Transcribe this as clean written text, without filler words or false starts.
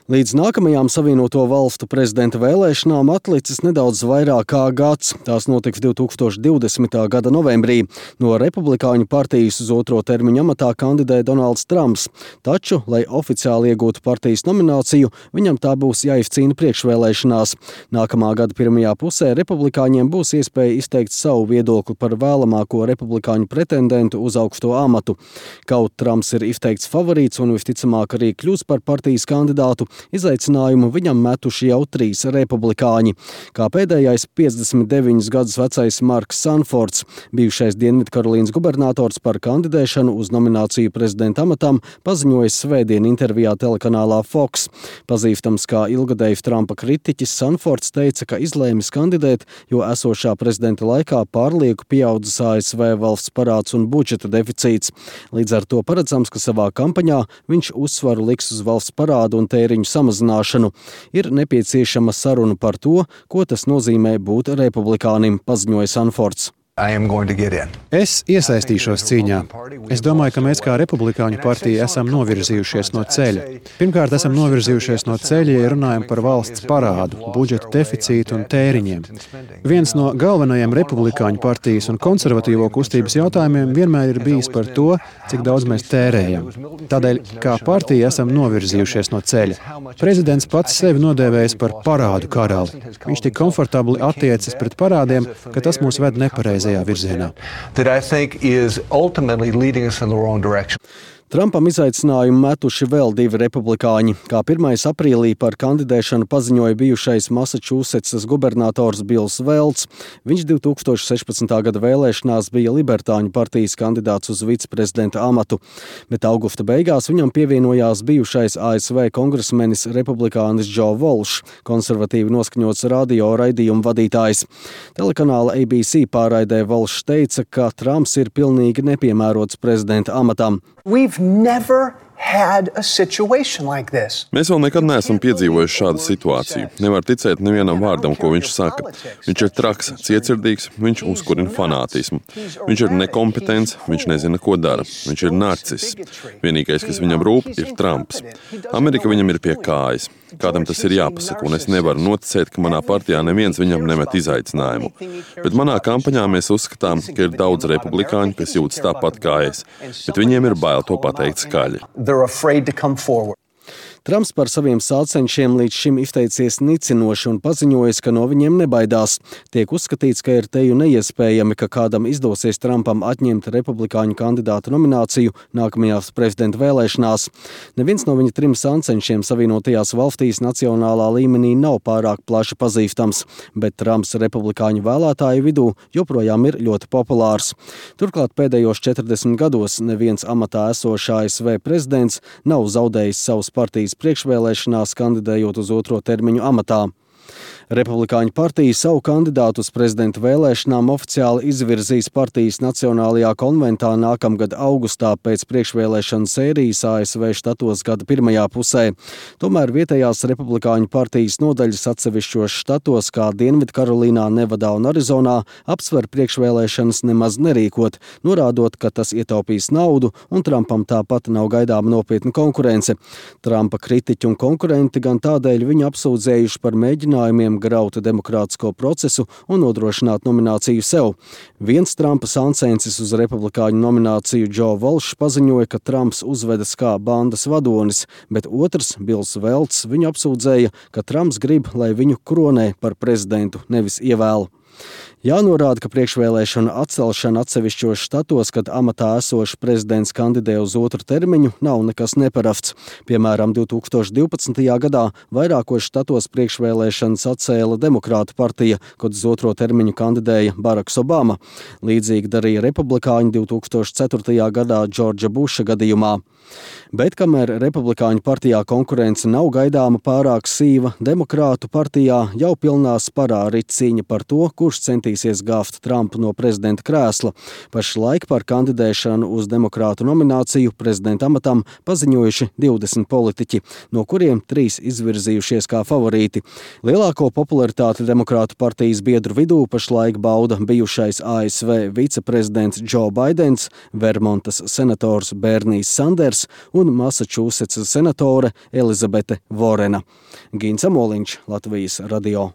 Līdz nākamajām Savienoto Valstu prezidenta vēlēšanām atlicis nedaudz vairāk kā gads. Tās notiks 2020. gada novembrī. No Republikāņu partijas uz otro termiņu amatā kandidē Donalds Trumps. Taču, lai oficiāli iegūtu partijas nomināciju, viņam tā būs jāizcīna priekšvēlēšanās. Nākamā gada pirmajā pusē republikāņiem būs iespēja izteikt savu viedokli par vēlamāko republikāņu pretendentu uz augsto amatu. Kaut Trumps ir izteikts favorīts un visticamāk arī kļūs par partijas kandidātu, izaicinājumu viņam metuši jau 3 republikāņi. Kā pēdējais 59 gadus vecais Marks Sanfords, bijušais Dienvidkarolīnas gubernators par kandidēšanu uz nomināciju prezidenta amatam, paziņojis svētdien intervijā telekanālā Fox. Pazīstams kā ilgadējs Trumpa kritiķis, Sanfords teica, ka izlēmis kandidēt, jo esošā prezidenta laikā pārlieku pieaudzis ASV valsts parāds un budžeta deficīts. Līdz ar to paredzams, ka savā kampaņā viņš uzsvaru liks uz valsts parādu un tēriņu samazināšanu. Ir nepieciešama saruna par to, ko tas nozīmē būt republikānim, paziņoja Sanfords. Es iesaistīšos cīņā. Es domāju, ka mēs kā republikāņu partija esam novirzījušies no ceļa. Pirmkārt, esam novirzījušies no ceļa, ja runājam par valsts parādu, budžeta deficītu un tēriņiem. Viens no galvenajiem republikāņu partijas un konservatīvo kustības jautājumiem vienmēr ir bijis par to, cik daudz mēs tērējam. Tādēļ, kā partija, esam novirzījušies no ceļa. Prezidents pats sevi nodēvējis par parādu karali. Viņš tik komfortabli attiecas pret parādiem, ka tas mūs ved nepareizi virzienā. Trumpam izaicinājumu metuši vēl 2 republikāņi. Kā 1. aprīlī par kandidēšanu paziņoja bijušais Masačūsetsas gubernators Bills Velts. Viņš 2016. gada vēlēšanās bija Libertāņu partijas kandidāts uz viceprezidenta amatu, bet augusta beigās viņam pievienojās bijušais ASV kongresmenis republikānis Joe Walsh, konservatīvi noskaņots radio raidījumu vadītājs. Telekanāla ABC pārraidē Walsh teica, ka Trumps ir pilnīgi nepiemērots prezidenta amatam. Mēs vēl nekad neesam piedzīvojuši šādu situāciju. Nevar ticēt nevienam vārdam, ko viņš saka. Viņš ir traks, cietsirdīgs, viņš uzkurina fanātismu. Viņš ir nekompetents, viņš nezina, ko dara. Viņš ir narciss. Vienīgais, kas viņam rūp, ir Trumps. Amerika viņam ir pie kājas. Kādam tas ir jāpasaka, un es nevaru noticēt, ka manā partijā neviens viņam nemet izaicinājumu. Bet manā kampaņā mēs uzskatām, ka ir daudz republikāņu, kas jūtas tāpat kā es, bet viņiem ir bail to pateikt skaļi. Trumps par saviem sācenšiem līdz šim izteicies nicinoši un paziņojis, ka no viņiem nebaidās. Tiek uzskatīts, ka ir teju neiespējami, ka kādam izdosies Trumpam atņemt republikāņu kandidātu nomināciju nākamajās prezidenta vēlēšanās. Neviens no viņa 3 sācenšiem Savienotajās valstīs nacionālā līmenī nav pārāk plaši pazīstams, bet Trumps republikāņu vēlētāju vidū joprojām ir ļoti populārs. Turklāt pēdējos 40 gados neviens amatā esošs ASV prezidents nav zaudējis savus partijas priekšvēlēšanās, kandidējot uz otro termiņu amatā. Republikāņu partija savu kandidātu uz prezidenta vēlēšanām oficiāli izvirzīs partijas Nacionālajā konventā nākamgad augustā pēc priekšvēlēšanu sērijas ASV štatos gada pirmajā pusē. Tomēr vietējās republikāņu partijas nodaļas atsevišķos štatos, kā Dienvidkarolīnā, Nevadā un Arizonā, apsver priekšvēlēšanas nemaz nerīkot, norādot, ka tas ietaupīs naudu un Trumpam tāpat nav gaidāma nopietna konkurence. Trumpa kritiķi un konkurenti gan tādēļ viņu apsūdzējuši par mēģinājumiem grauta demokrātisko procesu un nodrošināt nomināciju sev. Viens Trumpa sāncensis uz republikāņu nomināciju Joe Walsh paziņoja, ka Trumps uzvedas kā bandas vadonis, bet otrs, Bills Velts, viņu apsūdzēja, ka Trumps grib, lai viņu kronē par prezidentu, nevis ievēl. Jānorāda, ka priekšvēlēšana atcelšana atsevišķos štatos, kad amatā esošs prezidents kandidē uz otru termiņu, nav nekas neparasts. Piemēram, 2012. gadā vairākos štatos priekšvēlēšanas atcēla Demokrātu partija, kad uz otro termiņu kandidēja Baraks Obama. Līdzīgi darīja republikāņi 2004. gadā Džordža Buša gadījumā. Bet kamēr republikāņu partijā konkurence nav gaidāma pārāk sīva, Demokrātu partijā jau pilnā sparā rit cīņa par to, kurš centīsies gāft Trumpu no prezidenta krēsla. Pašlaik par kandidēšanu uz demokrātu nomināciju prezidenta amatam paziņojuši 20 politiķi, no kuriem 3 izvirzījušies kā favorīti. Lielāko popularitāti demokrātu partijas biedru vidū pašlaik bauda bijušais ASV viceprezidents Joe Baidens, Vermontas senators Bernijs Sanders un Masačūsetsas senatore Elizabete Vorena. Gins Amoliņš, Latvijas radio.